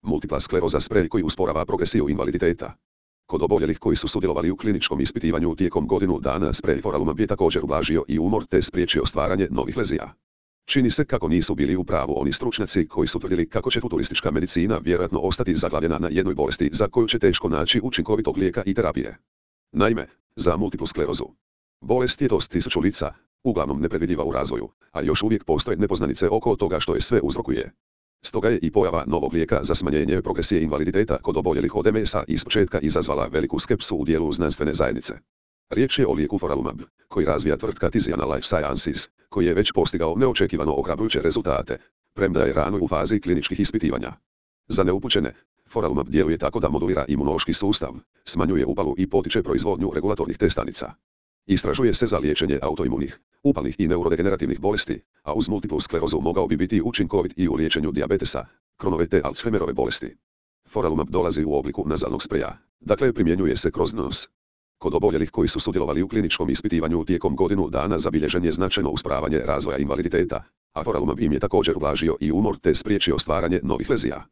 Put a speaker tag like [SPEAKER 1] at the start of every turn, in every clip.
[SPEAKER 1] Multipla skleroza sprej koji usporava progresiju invaliditeta. Kod oboljelih koji su sudjelovali u kliničkom ispitivanju tijekom godinu dana sprej foralumab je također ublažio i umor te spriječio stvaranje novih lezija. Čini se kako nisu bili u pravu oni stručnjaci koji su tvrdili kako će futuristička medicina vjerojatno ostati zaglavljena na jednoj bolesti za koju će teško naći učinkovitog lijeka i terapije. Naime, za multiplu sklerozu. Bolest je dost tisućulica, uglavnom nepredvidljiva u razvoju, a još uvijek postoje nepoznanice oko toga što je sve uzrokuje. Stoga je i pojava novog lijeka za smanjenje progresije invaliditeta kod oboljelih od MS-a ispočetka izazvala veliku skepsu u dijelu znanstvene zajednice. Riječ je o lijeku foralumab, koji razvija tvrtka Tiziana Life Sciences, koji je već postigao neočekivano ohrabrujuće rezultate, premda je rano u fazi kliničkih ispitivanja. Za neupućene, foralumab djeluje tako da modulira imunološki sustav, smanjuje upalu i potiče proizvodnju regulatornih T stanica. Istražuje se za liječenje autoimunih, upalnih i neurodegenerativnih bolesti, a uz multiplu sklerozu mogao bi biti učinkovit i u liječenju dijabetesa, Chronove te Alzheimerove bolesti. Foralumab dolazi u obliku nazalnog spreja, dakle primjenjuje se kroz nos. Kod oboljelih koji su sudjelovali u kliničkom ispitivanju tijekom godinu dana zabilježen je značajno usporavanje razvoja invaliditeta, a foralumab im je također ublažio i umor te spriječio stvaranje novih lezija.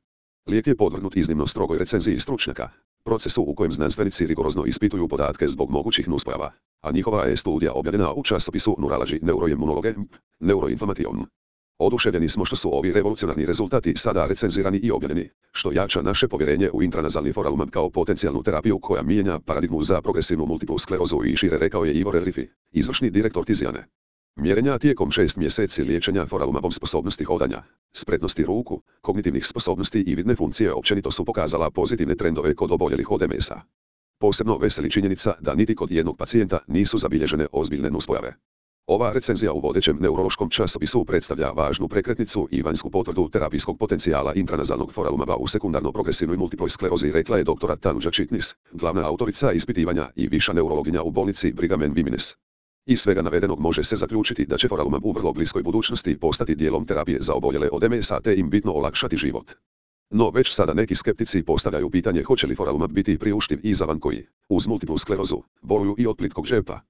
[SPEAKER 1] Lijek je podvrgnut iznimno strogoj recenziji stručnjaka, procesu u kojem znanstvenici rigorozno ispituju podatke zbog mogućih nuspojava, a njihova je studija objavljena u časopisu Neurology Neuroimmunology, Neuroinflammation. Oduševljeni smo što su ovi revolucionarni rezultati sada recenzirani i objavljeni, što jača naše povjerenje u intranazalni foralumab kao potencijalnu terapiju koja mijenja paradigmu za progresivnu multiplu sklerozu i šire, rekao je Ivo Relifi, izvršni direktor Tiziane. Mjerenja tijekom 6 mjeseci liječenja foralumabom sposobnosti hodanja, spretnosti ruku, kognitivnih sposobnosti i vidne funkcije općenito su pokazala pozitivne trendove kod oboljelih od MS-a. Posebno veseli činjenica da niti kod jednog pacijenta nisu zabilježene ozbiljne nuspojave. Ova recenzija u vodećem neurološkom časopisu predstavlja važnu prekretnicu i vanjsku potvrdu terapijskog potencijala intranazalnog foralumaba u sekundarno progresivnoj multiploj sklerozi, rekla je doktora Tanuja Chitnis, glavna autorica ispitivanja i viša neurologinja u bolnici Brigham and Women's. Iz svega navedenog može se zaključiti da će foralumab u vrlo bliskoj budućnosti postati dijelom terapije za oboljele od MS-a te im bitno olakšati život. No već sada neki skeptici postavljaju pitanje hoće li foralumab biti priuštiv i za one koji, uz multiplu sklerozu, boluju i od plitkog džepa.